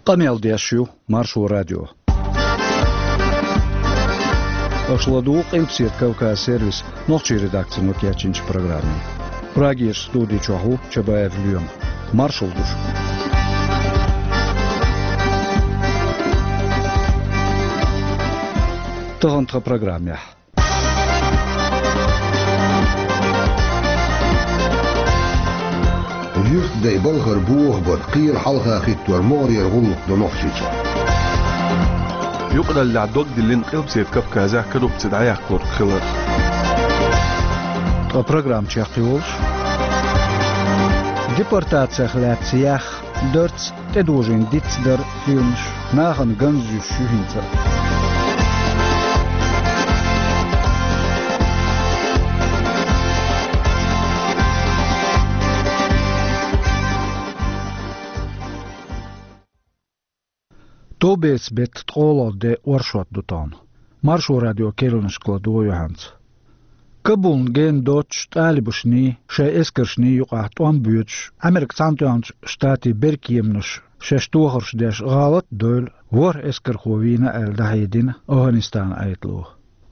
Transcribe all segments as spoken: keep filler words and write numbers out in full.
Къамел деш ю Маршо радио. Аша ладугӀу Къилбаседа Кавказ сервисан нохчийн редакцино кечйинчу программе. Прагерчу студи чохь ву Чабаев Лоьма. Маршалла ду шуьга. Тахана тхан программехь. Юьртдай балхара бохабар, кхера хьалха хӀиттор могӀарера гӀуллакх ду Нохчийчохь. Юкъараллехь дог диллина Къилбаседа Кавказехь коррупци дӀаяккхалург хилар. Ткъа программа чекхйолуш: депортацех лаьцна яьхна, дарц, тӀедожийна диц дар, фильмаш, нахана ганза юьсуш ю хӀинца а. Товбецан беттан ткъолгӀа де, оршот ду тахана. Маршо радио керланашка ладогӀа юьхьанца. Кабулна гена доццуш тӀалибашний, шайн эскаршний юкъахь тӀом боьдуш, Америкин Цхьаьнатоьхначу Штатийн беркеманаш шаьш тохарш деш гӀалат а девлла, ворхӀ эскархо вийна аьлла дӀахьедина ОвхӀанистанан Ӏедало.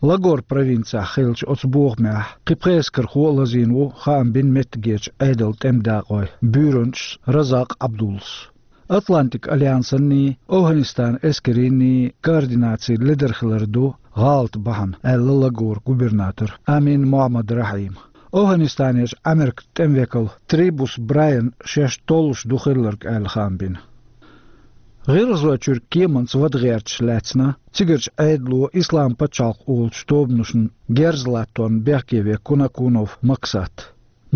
Лагор провинцехь хиллачу оцу бохамехь кхин пхи эскархо а лазийна ву, хаам бина меттигерчу Ӏедалан тӀеман дакъойн буьйранчас Разакъ Ӏабдуллас. Атлантикан альянсанний, ОвхӀанистанан эскаршний координаци ледара хилар ду гӀалат бахьана, аьлла лагоран губернатора Амин Мохьмад Рахьима. ОвхӀанистанерчу Америкин тӀеман векала Трибус Брайана шаьш толлуш ду хилларг аьлла хаам бина. ГӀиргӀазойчуьра кеманца вада гӀерташ лаьцна цигарчу Ӏедало Ислам пачхьалкх олучу тобанашна герз латтонна бехке ве Кунакунов Максат.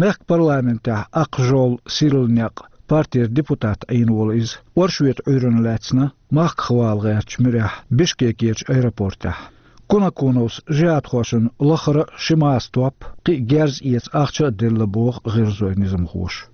Мехкан парламентехь Ах жоьл, сирла некъ партера депутат Ӏийна волу иза, оршотан Ӏуьйранна лаьцна махках вала гӀертачу муьрехь Бишкекерчу аэропортехь. Кунакуновс жихӀадхошна лахара а ши маса топ, кхин а герз эца ахча а делла, боху гӀиргӀазойн низамхоша.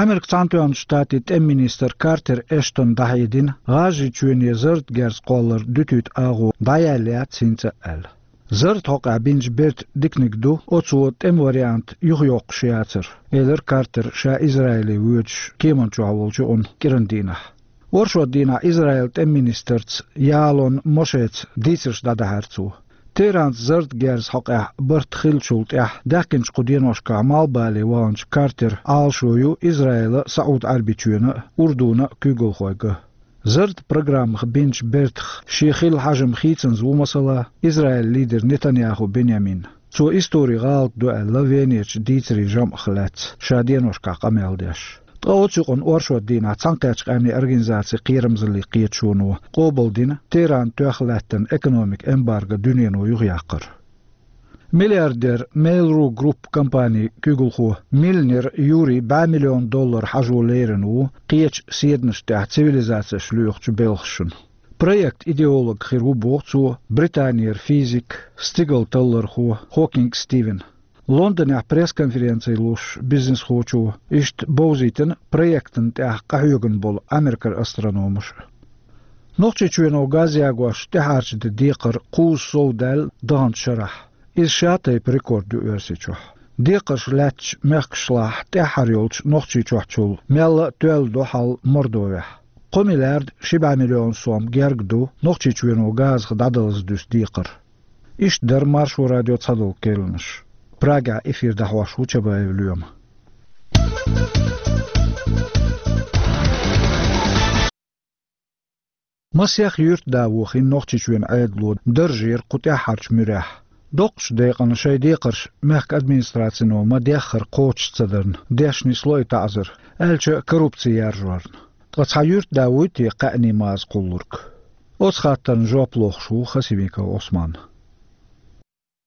Америкин Цхьаьнатоьхначу Штатийн тӀеман министра Картер Эштона дӀахьедина, ГӀажарийчоьне зарратан герз кхоллар дуьтуьйту агӀо дӀаяьлла яц хӀинца а аьлла. Зарратан хьокъехь бинчу бертан диканиг ду оцо тӀеман вариант юхайоккхуш яцар, элира Картера ша Израиле воьдуш кеманна чохь волчу юкъанна кӀиран дийнахь. Оршот дийнахь Израилан тӀеман министрца Яалон Мошеца дийцарш дӀадахьара цо. Теранца зарратан герзан хьокъехь барт хиллачул тӀаьхьа даьхкинчу кху деношкахь Малхбале ваханчу Картера Ӏалашо ю Израилан а, СаӀуд-Ӏаьрбийчоьнан а, Урдунан а куьйгалхой ган. Зарратан программах бинчу бертах шен хилла хьажам хийцанза ву, масала, Израилан лидер Нетаньяху Беньямин. Цо историн гӀалат ду аьлла Венерчу дийцарийн жамӀах лаьцна ша деношкахь къамел деш. Ткъа оцу юкъанна оршот дийнахь Цхьаьнакхеттачу Къаьмнийн Организацин кхерамзаллин кхеташоно къобалдина Теранна тоьхна лаьттина экономикан эмбарго дуьнено юхаяккхар. Миллиардер, Mail.ru Group компанин куьйгалхо Милнер Юрий бӀе миллион доллар хьажо лерина ву кхечу седанаш тӀехь цивилизацеш лоьхучу белхашна. Проектан идеолог хир ву, боху цо, Британера физик, стигал таллархо Хокинг Стивен. Лондонехь пресс-конференци луш бизнесхочо иштта бовзийтина проектана тӀехь къахьоьгун болу Америкера астрономаш. Нохчийчоьно газ ягош тӀаьхьарчу де декхар кхузза сов даьлла даханчу шарахь. Иза шатайпа рекорд ю Оьрсийчохь. Декхарш лаьттачу мехкашлахь тӀаьххьара йолчу Нохчийчохьчул мелла а тоьлла ду хьал Мордовехь. Кхо миллиард ши бӀе миллион сом герга ду Нохчийчоьно газах дӀадалаза дуьсу декхар. Иштта дара Маршо радион цхьадолу керланаш. Прагехь эфир дӀахьош ву Чабаев Лоьма. Масех юьртда вохийна Нохчийчоьнан Ӏедало даржера кху тӀаьххьарчу муьрехь. Доккхачу декъана шайн декхарш мехкан администрацино ма-деххара кхочуш ца дарна, деш нисло и таӀзар, аьлча а коррупци яржорна. Ткъа цхьа юьртда вуй те кхаьъний маза кхуллург? Оцу хаттарна жоп лохуш ву Хасимиков Ӏусман.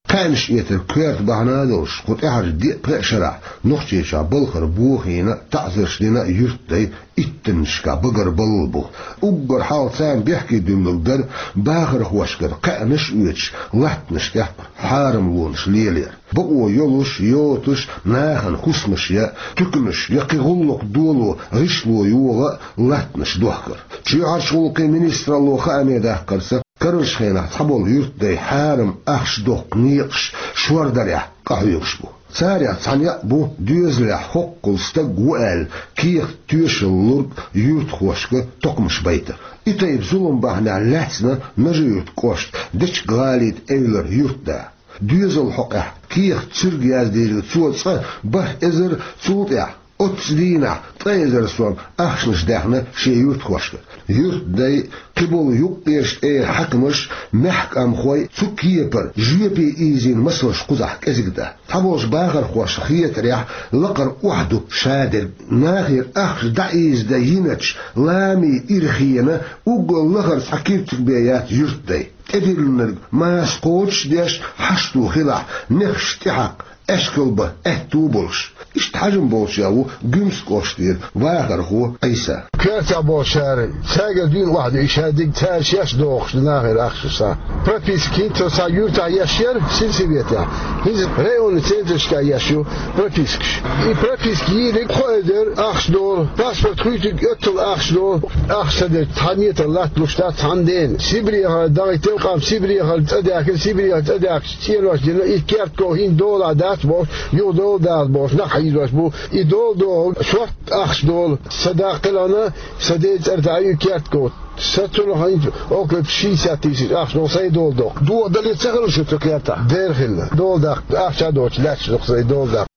Кхаьънаш эцар коьрта бахьана а долуш, кху тӀаьхьарчу диъ-пхи шарахь Нохчийчохь балхара бохийна а, таӀзарш дина а юьртдай иттаннашкахь багарбалла бу. Уггар хьалха царна бехке дуьллург дара бахархошкара кхаьънаш а оьцуш, латтанаш тӀехь хьарамлонаш лелаяр. Бакъо йолуш, йоцуш, нахана хӀусамаш я, туьканаш я, кхин гӀуллакх доло, гӀишло йогӀу а латтанаш дохкар. Чоьхьарчу гӀуллакхийн министралло хааме даккхарца, карарчу хенахь цхьаболу юьртдай хьарам ахча доккху некъаш шордарехь къахьоьгуш бу. Царех цхьа некъ бу доьзалехь хӀоккхул стаг ву аьлла, кехат-тоьшалла лург юьртахошка токхамаш байта. И тайпа зулам бахьанехь лаьцна Нажи-Юьртан кӀоштан Дечка-ГӀалита Эвлара юьртда. Доьзалан хьокъехь кехат-суьрг яздийриг цо цкъа бархӀ эзар, цул тӀаьхьа оццу дийнахь ткъа эзар сом ахчанаш даьхна шен юьртахошка. Юьртдай, кхиболу юккъерчу тӀера хьаькамаш, маьхкамхой цу кепара жоьпе ийзийна масалш кхузахь кӀезиг дан. Цхьаболчу бахархошна хетарехь, лакхара охьадуш ду шадерг. Нахера ахча дӀаийзадан йиначу ламийн ирхенан уггар лахара цхьа киртиг бен яц юьртдай. ТӀедиллинарг маса кхочуш а деш, хьашто хилахь, нехаш тӀехьакха, аьшкалбан аьтто а болуш. Иштта хьажам болчех ву Гуьмсан кӀоштара вахархо Ӏийса. Коьртехь болчара, цаьргара дуьйна охьадуьйш дерг, цара шаьш дохуш ду нахера ахча. Прописка хӀинца цхьа юьртахь еш яра сельсоветехь, хӀинца районан центрашкахь еш ю пропискаш. И прописка йийриг кхо эзар ахча долу, паспорт хуьйцург оьттал ахча долу. Ахча ца дерг цхьа метр латта луш дац цхьана дена. Сибрехара дагӀийтина, къам Сибрехара цӀа даьхкина, Сибрехара цӀа даьхкича цӀенош дина, и керт ков хӀинца долахь дац бохуш, юха дола даха бохуш, нах хьийзош бу. И дола дохург шортта ахча долу, сан даккхилхьана, сан ден цӀарца ю керт ков. Сан цунах хӀинца около шестьдесят тысяч ахча долу, сайн дола доккху. Доха дале ца хилла шу цу кертахь? Дера хилла. Дола даккха ахча а доцуш лаьтташ ду-кх сайн дола даккха.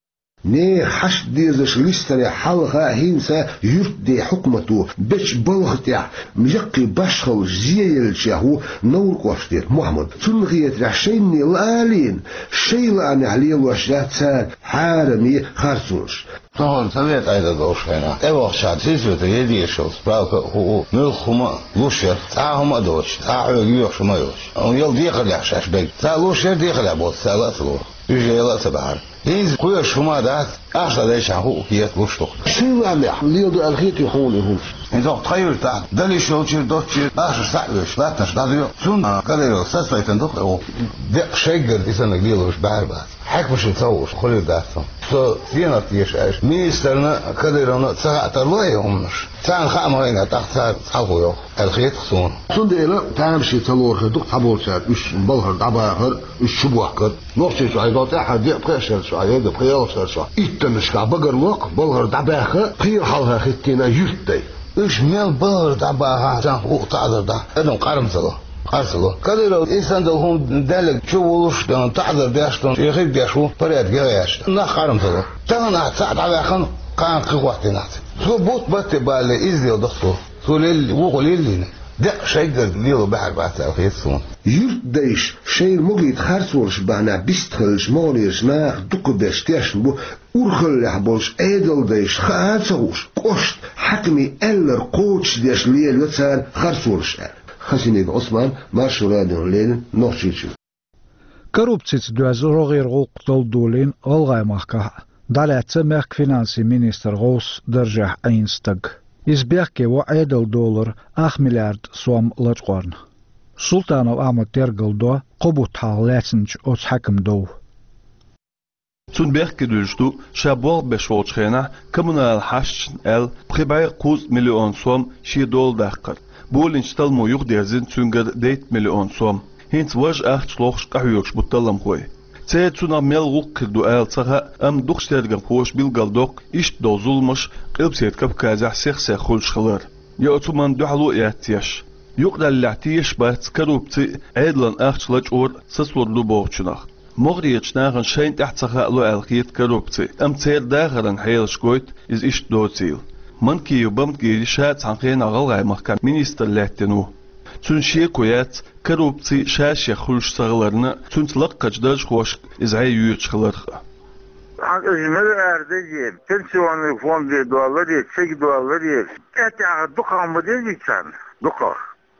Нехан хьашт дезаш листарехь хьалха а, хӀинца а юьртден хьукмато бечу балха тӀехь яккхий башхаллаш зеделлачех ву Невран кӀоштара Мухьаммад. Цунна хетарехь, шайна лаалийна, шайн лаамехь лелош яц цара хьараме харцонаш. Тахана совет Ӏедал долуш хенахь, тӀевахча сельсоветан дезаш йолу справка а, хӀуъу а, муьлхха хӀума а луш яра, цхьа а хӀума а доцуш, цхьа а хьоьга йоьхуш ма йоцуш. Амма яла декхарийлахь шаьш берг. Цара луш яра, декхарийлахь боцуш, цара ла а ца лохура. Уьш яла а ца бахьара. ХӀинца кхоьруш хӀума дац, ахча дӀадайчхьана хӀуъу кхета луш ду-кх. Шайн лаамехь леладо аьлла хетий хьуна и хӀумаш? ХӀинца хӀокху тхан юьртахь, далийш йолчуьра, доцучуьра, ахчанаш схьа а оьцуш, латтанаш дӀадоькъу. Цунна Кадыров сацалайтина ду-кх и гӀуллакх. Деккъа шеггара и саннарг лелош баьхьар бац. Хьаькамашна ца хууш хуьлур дац хьуна. Со стенах теша аьлча, министрна а, Кадыровна а ца хаа тарло и хӀуманаш. Царна хаа ма хиъна, тӀаккха цара хьалхо йоху аьлла хета-кх суна. Цундела тамашийна ца лору хир ду-кх цхьаболчара уьш балхара дӀабахар, уьш чубохкар. Нохчийчохь и долу тӀаьххьара деа пхи шарахь чохь, я пхи ялх шарахь чохь иттаннашкахь багарло-кх балхара дӀабаьхна, пхи йолу хьалха хӀиттийна юьртдай. Уьш мел балхара дӀабахахь, царна хӀуъу таӀзар дахь, адам къар ма ца ло. Къар ца ло. Кадыров и санна долу хӀума даьлларг чу вуллуш а, таӀзар деш а, шен хӀирг деш ву, порядок ян гӀерташ. Нах къар ма ца ло. Тахана ахь цхьаъ дӀаваьккхина, кхана кхин хӀоттийна ахь цига. Цо бутт батте балале, иза леладо-кх цо. Цо лелли, вукхо леллийна. Деккъа шеггара лело баьхьар бац аьлла хета суна. Юьртдайша шайна могийта харцонаш бахьана бистхиллачу могӀарерчу наха дукхахберш тешна бу, урхаллехь болчу Ӏедалдайша хаа а ца хууш, кӀоштан хьаькамийн аьлларг кхочушдеш лелайо цара харцонаш аьлла. Хасимиков Ӏусман, Маршо радиона леррина, Нохчийчуьра. Коррупцица доьзна рогӀера гӀуллакх долу долийна ГӀалгӀай махкахь а, дӀалаьцна мехкан финансийн министран гӀовс даржехь Ӏийна стаг. Иза бехке во Ӏедалан долара ах миллиард сом лачкъорна. Султанов Ахьмада тергалдо кхо бутт хьалха лаьцначу оцу хьаькаман дов. Цунна бехке дуьллуш ду, ша болх беш волчу хенахь коммуналан хьашташна аьлла пхи бӀе кхузткъа миллион сом шен дола даккхар. Болийначу талламо юхадерзийна цуьнгара дейтта миллион сом. ХӀинца важа ахча лохуш къахьоьгуш бу талламхой. Церан цунах мел гӀуллакх хир ду ала ца хаьа, амма дукхачу тергамхоша билгалдоккху иштта долу зуламаш Къилбаседа Кавказехь сих-сиха хуьлуш хилар. Я оцу хӀуманна дуьхьало а яц еш. Юкъараллехь тешаш бац коррупци а, Ӏедалан ахча лачкъор а сацалур ду бохучунах. МогӀарерчу нахана шайна тӀехь ца хаало аьлла хета коррупци, амма церан дахаран хьелаш гойту иза иштта доцийла. Манкиев Баматгири ша а цхьана хенахь ГӀалгӀай махкахь министр лаьттина ву. Цуьнан шеко яц коррупци ша-шех хуьлуш цахиларна, цуьнца лаккхарчу даржхошка иза хье йоьдуш хиларх а. Хьан иза мила арадеза, пенсионный фонде долларе, цига долларе, тӀаьхьа дукха ма дезий царна, дукха.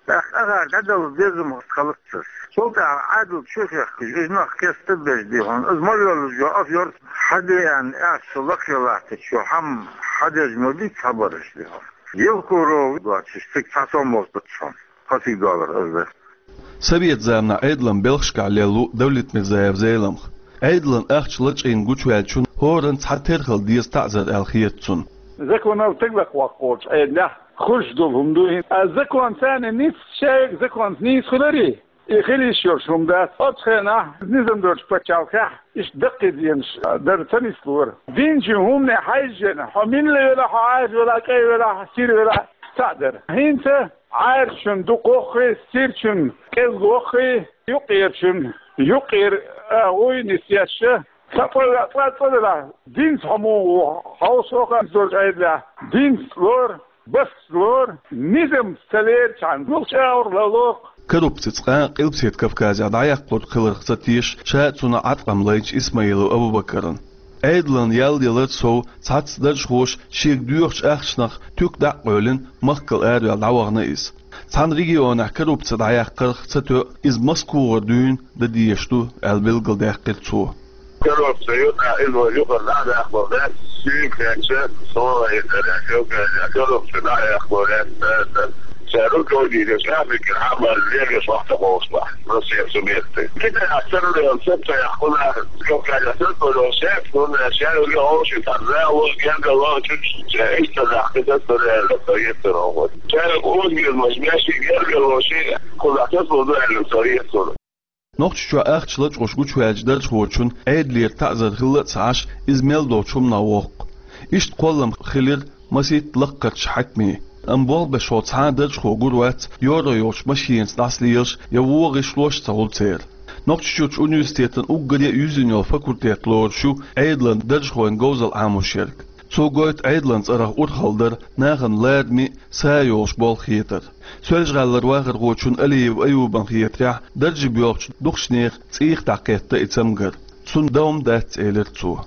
ТӀаккха ахара дӀадала безам хилац цара. Цул тӀаьхьа Ӏадал чу а хехкаш, иза нах кеста а беш дехьа, иза ма йоллаш йо, ас йорц хьадеана, ас со лакхе латтачо, хьан хьадеза ма бий цхьабараш дехьа. Евкуров доцуш, цига цхьа сом болуш дац хьуна, кхо цига доллар ас дан. Совет заманахь Ӏедалан белхашкахь лелла ву Давлетмирзаев Зеламха. Ӏедалан ахча лачкъийна гучуваьллачунна хӀоранна цхьатерра хила деза таӀзар аьлла хета цунна. Законал тӀе ваккхочу Ӏедалехь хуьлуш долу хӀума ду хӀинца. А закон царна ницкъ, шайга законца нийса хуьларий? И хила йиш йолуш хӀума дац. Оцу хенахь низам долчу пачхьалкхехь иштта даккхий зенаш дар ца нислора. Динчу хӀумане хьаьжжина, хьо милла велахь, хьо Ӏаьржа велахь, кӀай велахь, сира велахь, цхьаъ дара. ХӀинца Ӏаьржачун дукха воххий, сирачун кӀезга воххий, юккъерачун юккъера агӀуй нисъеш, цхьа пӀа веа цкъа цӀа делахь, динца хьо муха ву, хьовсо хан долчу Ӏедалехь, динца лора, басца лора, низам ца лерчхьана, гулчу агӀор лало. Коррупци цкъа а Къилбаседа Кавказехь дӀаяккхалур хиларх ца теша ша а цунах Ӏаткъам лайначу Исмаилов Абу-Бакарна. Ӏедалан ял ялар сов цхьацца даржхоша шега доьхучу ахчанах туька дӀа а къевлина, махкал араваьлла дӀавахана иза. Цхьана регионехь коррупци дӀаяккхарх ца тоьу, иза Москвагара дуьйна дан дезаш ду, аьлла билгалдаьккхира цо. Коррупци ю, иза вай юкъара дӀа а даккхалур дац, суьйга хетча, со а хӀинца коррупци дӀа а яккхалур яц, ша руководитель Африкин хьан бан легаш вахта ховшалахь, Россия субъекты. Китайхь ца лоьху, ца ца яхкъу нах, Кавказехь ца ца лоьху, шаьш хӀунда аьлча ша юьллу хьовший цхьа зало, гергало, чуьра иштта дахкита ца лоьху, со еццара хьо. Ша юьллу озгермаш, меший гергало, ши кхузахь ца ца лоьху, со еццара. Нохчийчохь ахча лачкъош гучуваьллачу даржхочун Ӏедалера таӀзар хилла а ца Ӏаш, иза мел долчу хӀуманах воккху. Иштта кхоллам хилира масийтта лаккхарчу хьаькамийн. Амма болх беш хьо цхьа а даржхо гур вац, йора йолчу машенаца дӀасалелаш я вогӀу гӀишлош а ца хуьлу церан. Нохчийчуьрчу университетан уггаре а юьззина йолу факультет лоруш ю Ӏедалан даржхойн говзалла Ӏамош ерг. Цо гойту Ӏедалан цӀарах урхалла дар, нахана лараме а, са а йолуш болх хетар. Соьлжа-ГӀалара вахархочун Алиев Аюбан хетарехь, дарже боьлхучу дукхачу нехан цӀийх дӀакхетта и цамгар. Цунна дан хӀума дац, элира цо.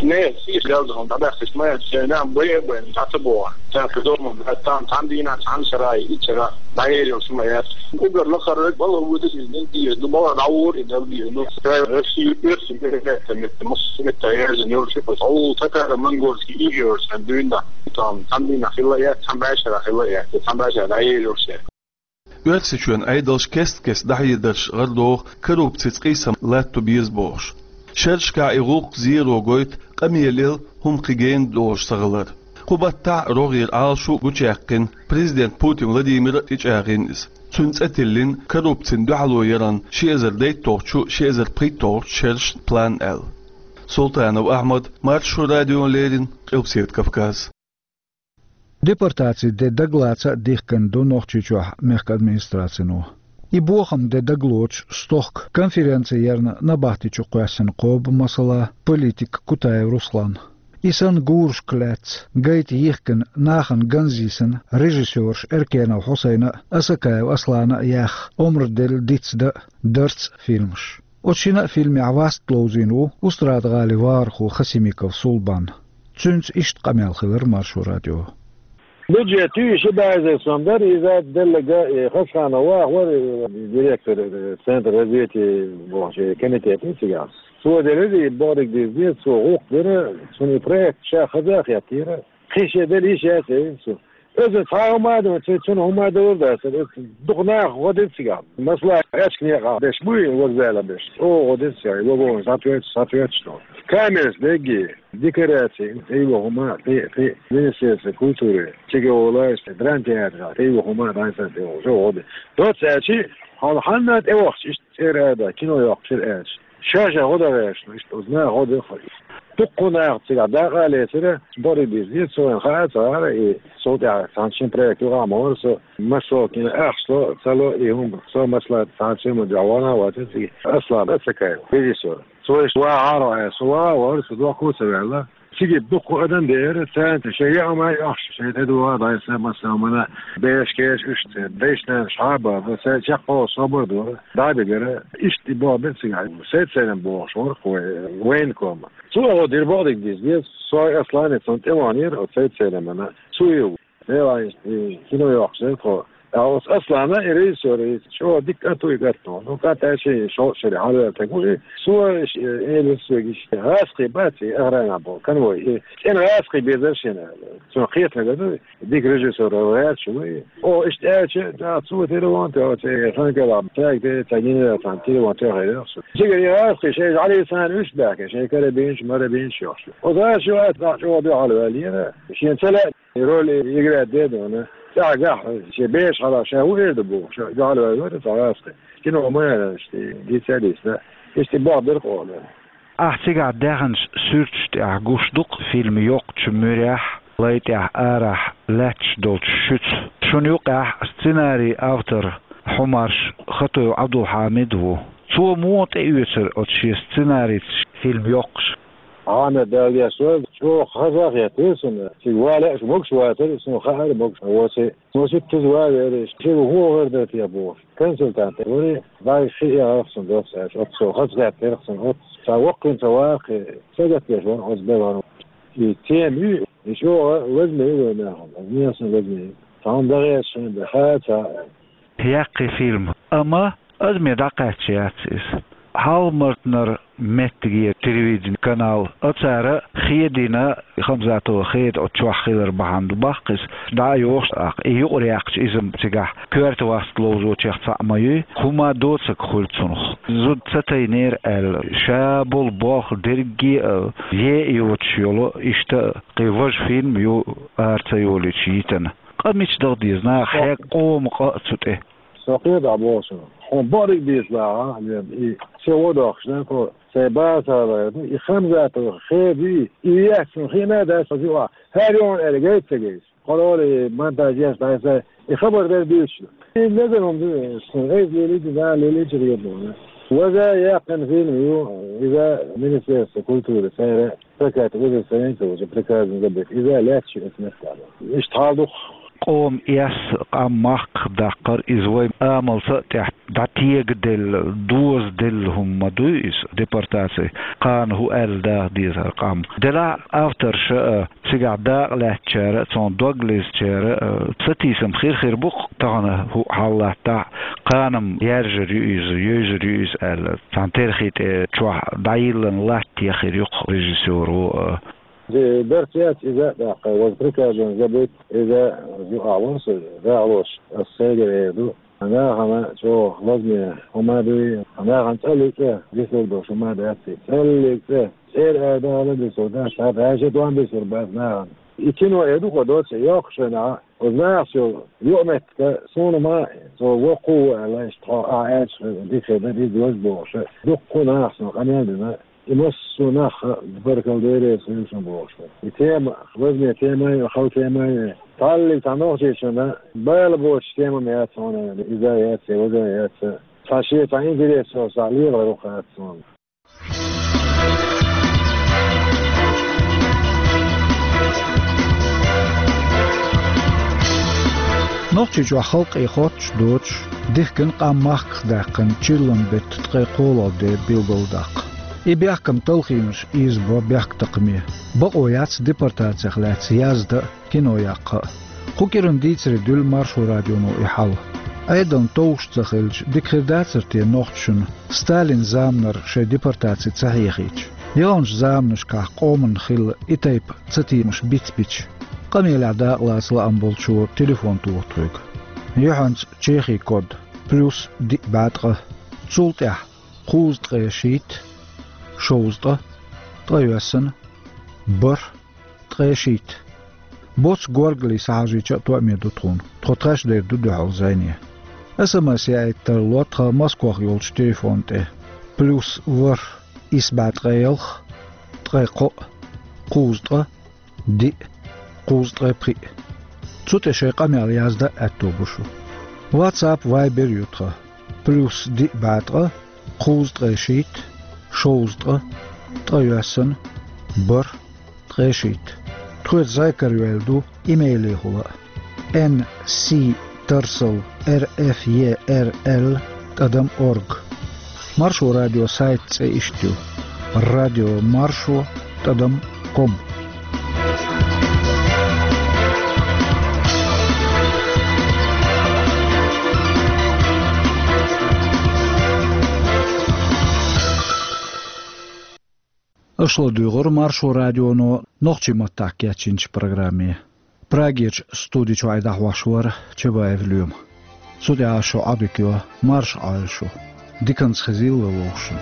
Нехан цӀийх галдахьа дӀабаьхкича ма яц, шайн нах бай а байна, дӀа ца боху. Цаьрга дома бац, цхьана дийнахь, цхьана шарахь, итт шарахь дӀаер йолуш ма яц. Уггар лакхара верг бала вуьту иза, дин дийр ду, бала дӀавора и дал дийр ду. Шайн Россия оьрсийн передача метта, массо метта яьржина йолуш ю, хьуна татаро-монгольский ига йолуш сан дуьйна. Там цхьана дийнахь хилла а яц, цхьана бӀешарахь хилла а яц, цхьана бӀешарахь дӀаер йолуш яц. Оьрсийчоьнан Ӏедалш кест-кеста дӀахьедарш гӀарадоху коррупцица къийсам латто беза бохуш. Шерашкахь и гӀуллакх зеро гойту къамелал хӀума кхин гена долуш ца хилар. Кху баттахь а рогӀера Ӏалашо а гучуяьккхина, президент Путин Владимира а тӀечӀагӀйина иза. Цуьнан цӀе тиллина коррупцина дуьхьало яран ши эзар дейтталгӀачу, ши эзар пхийтталгӀачу шерашна план аьлла. Султанов Ахьмад, Маршо радиона леррина, Къилбаседа Кавказ. Депортацин де дагалаца а дихкина ду Нохчийчохь мехкан администрацино. И бохам де дагалоцуш стохка конференци ярна набахти чу кхоьссина кхоба масала политик Кутаев Руслан. И санна гурашка лаьцна гайта йихкина, нахана ганза йисина режиссераш Эркенов Хьусайна а, Асакаев Аслана а яьхна омра делла «Дицдан а, дарцан а» фильмаш. Оцу шина а фильмехь васт ловзийна ву Устрада-ГӀалин вахархо Хасимиков Сулбан. Цуьнца иштта къамел хилира Маршо радион. Бюджет ю, ши бӀе эзар сом дара, иза делларг, э, Хасханов Ваха вара, э, директор, э, Центр развития бохучу комитета цигахь. Цо делира и бохург дийзира, цо гӀуллакх дира, цуьнан и проект ша хаза а хеттера. Кхин шен дерриш яц, элира цо. Иза цхьа хӀума а ду, цу-, цунна хӀума а далур дац, иза дукха наха гӀо дира цигахь. Масала, аьчка некъахь беш буй, вокзале беш. Оха гӀо дира цигахь, вагон, схьатоьттуш, схьатоьттуш ду. Камераш дегги, декораци, тӀе йо хӀума, тӀе, тӀе, Министерство культуры, цига волуш, драмтеатрехь, тӀе йо хӀума, дӀасана тӀе йо, жо гӀо дира. Доцца аьлчи, хьал хьанна тӀе вахча, иштта цӀера а дац, кино йоккхуш яра аьлча. Ша-ша гӀо дан гӀерташ, иштта оцу наха гӀо дан хьо. Дуккха наха цигахь дакъа а лецира, бори биза, цо вайн хаа ца гӀара, и цул тӀаьхьа цхьана шина проект юкъахь ма вара со, Маршо кина ахча ло, ца ло, и хӀума, со масала цхьана шина ма дуьхьа вахана а вацара цига, Аслан Ацакаев, режиссёр. Цо иштта вахьара аьлла, со ваха а вара, со дохко а ца ваьлла. Цига дуккха адам дера, царна шайн яа ма йохуш, шайн тӀедогӀа дӀайса, масала, мана беш-кеш уьш церан дайшна шхьаба, церан чекхо собар дора, дӀабигара, иштта и боху бен цигахь. Сайд-Сайрам бохуш вара кхо, военком. Цо гӀо дира бохург дийза деза, со Аслане цунна тӀе ваханера, оцу Сайд-Сайрамана. Цо и, и кино йоккхуш дара тхо. Ткъа оцу Аслана и режиссёр, и чӀогӀа дика а ду и гатто. Ну, кхатта шен шо-, шаре хьалаваьлла стаг ву и. Цо, э, элира соьга, иштта гӀазкхий бац и охранехь болу, конвой. И цӀена гӀазкхий безара шена. Цунах кхетам бу, дика режиссёр гӀерташ ву и. О, иштта аьлча, да, цо телефон тоьхна, цхьа хан кӀелахь, цаьрга де, цхьа генерал цхьаьна телефон тоьхна хир ю со. Цигара и гӀазкхий шайн жӀале царна уьш баьхкина, шайн карабинаш, марабинаш йохуш. Оцу гӀазкхичо атта чӀогӀа дуьхьал ваьллера. Шена ца лаьа, роль играть де дона. ЦӀагӀа гахь шен беш хьала ша хӀун эр ду бохуш, дуьхьал ваьлла вара цхьа гӀазкхи. Кино ма яра, иштта, дийца а дийцина, иштта боху дерг къоло. Ахь цигахь даьхначу суьрташ тӀехь гуш ду-кх фильм йоккхачу муьрехь, лай тӀехь арахь лаьтташ долчу шуьца. Шуна юкъехь сценарий автор Хьумарш Хатуев Ӏабдулхьамид ву. Цо муха тӀеоьцура оцу шен сценарийца фильм йоккхуш? Ахьа Дала деш вара, чӀогӀа хаза а хеттера суна. Цига вале а могуш вацара, суна хаьара могуш воций. Со ситтаза ван веара, шуьга хӀун гӀар дара те бохуш. Консультант вара, вай хи яхарх суна дос аьлча, оццо хазахеттерх суна, оццо ца воккхин ца ваккхи, сагатдеш вара оцу белхана. И тема ю, и чӀогӀа лазаме ю вайн нахана, аз нехан лазаме ю. Цхьана дагӀеш шайн бен, ха ца. Яккхий фильм, амма адаме дӀакхаьчча яц иза. Хьалха-Мартанара меттиге телевидени канал а цара хедина, Хамзатова Хеда оцу чохь хилар бахьана ду баккхийс, дӀа а йохуш аккха, и юкъара яьккхича иза-м цигахь коьрта васт ловзочех цхьаъ ма юй, хӀума доцург хуьлу цунах. Зуда ца тайнера аьлла, ша болу болх дерриге а е а йоцуш йолу, иштта а кхин важа фильм ю ара ца йолуьйтуш йитина. Къа мича даха деза, наха хьегна къоман къа а цу тӀе. Со кхетахь боху шуна. Хьуна бакъдерг дийца ваха, и се вон дохуш, да, кхо сайн база ца хилла, и Хамзатова Хеда, и яц шуна хиъна а дац, хьо юкъахь хӀара юхьун аьлла гайта ца гайта. Кхо роле монтаж еш дӀаса, и хабар дерг дуьйцуш. И лезар хӀума ду, шуна эза лелийча, да, лелийча хета вайна. Важа яьккхина фильм ю, иза Министерство культуры, цара прокат уже страница, уже приказано забыть. Иза лаьтташ ю оцу меттехь. Иштта хьал ду-кх. Къоман эс, къам махках даккхар, иза вай амалца а тӀехь дӀатегаделла, дозаделла хӀума ма дуй иза, депортаци. Кхана хӀун аьлла даха дезара къам. Делахь а авторша а, цигахь дакъа лаьцначара а, цунна дог лезачара а, сатийсам хир-хир бу-кх тахана хӀуъа хьал латтахь а, кхана-м яьржар ю иза, йевзар ю иза аьлла. Цхьана терхи тӀе чохь дӀайиллина латта яхир ю-кх режиссёро а. Ди-, барт яц иза а тӀаккха, ваза приказано забыть, иза юкъахь вара со, рагӀлош, ас сайгара эр ду. Нахана чӀогӀа лазаме хӀума дуй, нахана цӀаллиг цӀе дисур долуш хӀума дац и. ЦӀаллиг цӀе, цӀера ара дала дисур дац, хьан баьржа дон дисур бац нахана. И кино эр ду-кх доцу йоккхачу хенахь, оцу нахаца йолу юкъаметтиг, суна ма, со воккха ву аьлла, иштта хьо ахь аьлча дика хир дара, иза ваза бохуш, дуккха нахаца къамел дина. И массо а нах а баркалла Делера, суьйшина бохуш. И тема, лазаме тема а ю, хала тема а ю. Цхьаллиг цхьа нохчийчунна бала боцуш тема-м яц хьуна, иза яц, я ваза яц. Цхьа шен цхьа интерес йолуш цхьа лело ву хаьттина суна. Нохчийчохь халкъе хоттуш доцуш, дихкина къам махках даьккхина чиллан беттан ткъе кхоалгӀа де билгалдаккха. И бехкам талхийнарш ийзабо бехктакхаме. Бакъо яц депортацих лаьцна яздан а, кино яккха а. Кху кӀиран дийцаре дуьллу Маршо радионо и хьал. Ӏедална товш ца хилча, дика хир дацара те нохчашна, Сталин заманара шайн депортаци ца хьехийча? Яханчу заманашкахь къоманна хилла и тайпа цатемаш бицбича, къамелехь дакъалаца лаам болчо телефон тоха тхоьга. Юьхьанца Чехин код: плюс диъ бӀе ткъа. Цул тӀаьхьа кхузткъе шийтта, шовзткъа, ткъайоьсна, бархӀ, ткъе шийтта. Боцу горгали схьахьажийча а тоьаме ду тхуна. Тхо тхаьш дер ду дуьхьал зӀене. СМС яийта тарло тхан Москвахь йолчу телефон тӀе: плюс ворхӀ, исс бӀе ткъе ялх, ткъе кхоъ, кхузткъа, диъ, кхузткъе пхиъ. Цу тӀе шайн къамел яздан а аьтто бу шун. WhatsApp, Viber ю тхан: плюс диъ бӀе ткъа, кхузткъе шийтта, шовзткъа, ткъайоьсна, бархӀ, ткъе шийтта. Тхоьца зӀе карайойла ду имейлехула а: эн си тарсал эр эф е эр эл тӀадам орг. Маршо радион сайт цӀе иштта ю: радио маршо тӀадам ком. Аша ладуьйгӀура Маршо радионо нохчийн маттахь кечйинчу программе. Прагерчу студи чуьра дӀахьош вара Чабаев Лоьма. Цу тӀехь шу Ӏодика йо, марша Ӏойла шу. Диканца хезийла вовшашна.